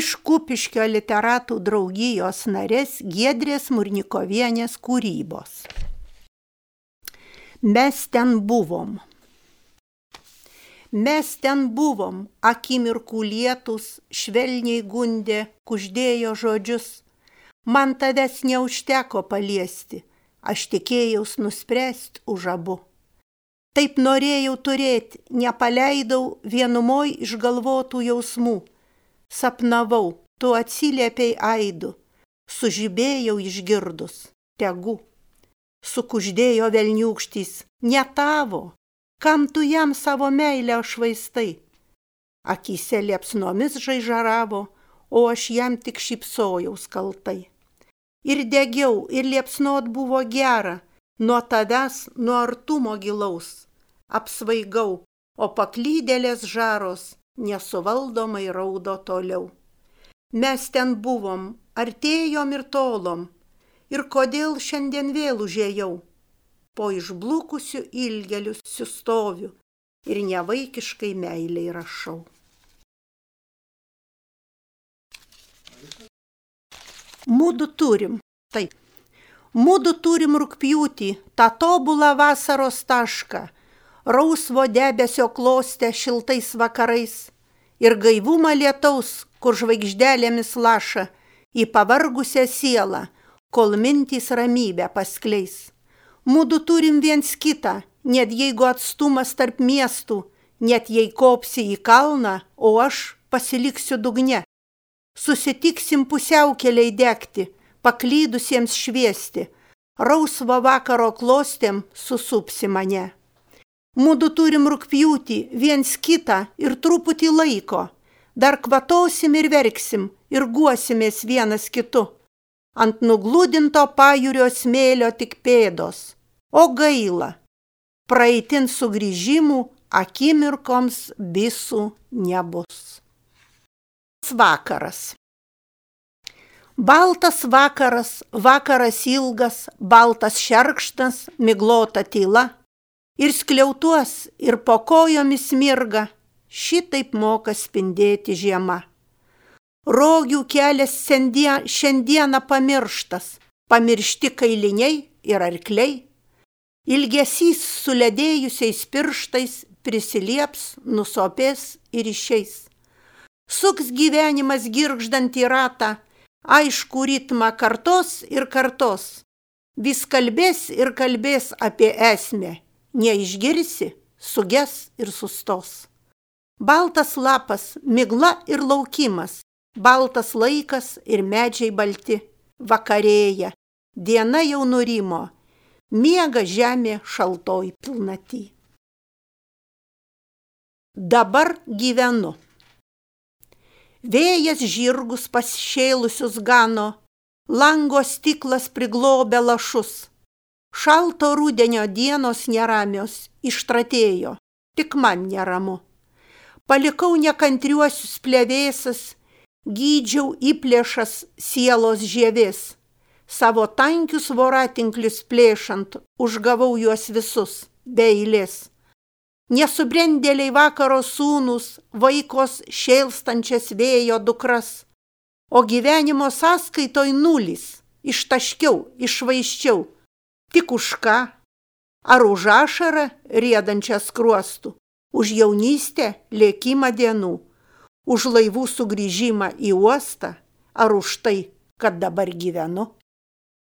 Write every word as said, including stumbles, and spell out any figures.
iš Kupiškio literatų draugijos narės Giedrės Murnikovienės kūrybos. Mes ten buvom. Mes ten buvom, akimirkų lietus, švelniai gundė, kuždėjo žodžius. Man tavęs neužteko paliesti, aš tikėjaus nuspręsti už abu. Taip norėjau turėti, nepaleidau vienumoj išgalvotų jausmų. Sapnavau, tu atsiliepiai aidu, sužibėjau išgirdus, tegu. Sukuždėjo velniūkštys, ne tavo, kam tu jam savo meilę švaistai. Akyse liepsnomis žaižaravo, o aš jam tik šypsojaus kaltai. Ir degiau, ir liepsnot buvo gera, nuo tavęs, nuo artumo gilaus. Apsvaigau, o paklydėlės žaros nesuvaldomai raudo toliau. Mes ten buvom, artėjom ir tolom, ir kodėl šiandien vėl užėjau. Po išblukusių ilgelių sustoviu ir nevaikiškai meiliai rašau. Mudu turim, taip, mudu turim rugpjūtį, tą tobulą vasaros tašką, rausvo debesio klostę šiltais vakarais ir gaivumą lietaus, kur žvaigždelėmis laša į pavargusią sielą, kol mintys ramybę paskleis. Mudu turim viens kitą, net jeigu atstumas tarp miestų, net jei kopsi į kalną, o aš pasiliksiu dugne. Susitiksim pusiaukeliai degti, paklydusiems šviesti, rausvo vakaro klostėm susupsi mane. Mudu turim rugpjūtį, viens kitą ir truputį laiko, dar kvatosim ir verksim ir guosimės vienas kitu. Ant nugludinto pajūrio smėlio tik pėdos, o gaila, praeitin sugrįžimų akimirkoms visų nebus. Vakaras. Baltas vakaras, vakaras ilgas, baltas šerkštas, miglota tyla. Ir skliautuos, ir po kojomis mirga, šitaip moka spindėti žiema. Rogių kelias šiandieną pamirštas, pamiršti kailiniai ir arkliai. Ilgesys suledėjusiais pirštais prisilieps, nusopės ir išeis. Suks gyvenimas girgždant į ratą, aišku ritmą kartos ir kartos. Vis kalbės ir kalbės apie esmę. Neišgirsi, suges ir sustos. Baltas lapas, migla ir laukimas, baltas laikas ir medžiai balti, vakarėja, diena jau nurimo, miega žemė šaltoj pilnaty. Dabar gyvenu. Vėjas žirgus pašėlusius gano, lango stiklas priglobė lašus. Šalto rudenio dienos neramios ištratėjo, tik man neramu. Palikau nekantriuosius plevėsas, gydžiau įplėšas sielos žievės. Savo tankius voratinklius plėšant, užgavau juos visus, be eilės. Nesubrendėliai vakaro sūnus, vaikos šėlstančias vėjo dukras. O gyvenimo sąskaitoj nulis, ištaškiau, išvaiščiau. Tik už ką? Ar už ašarą riedančią skruostų? Už jaunystę lėkimą dienų? Už laivų sugrįžimą į uostą? Ar už tai, kad dabar gyvenu?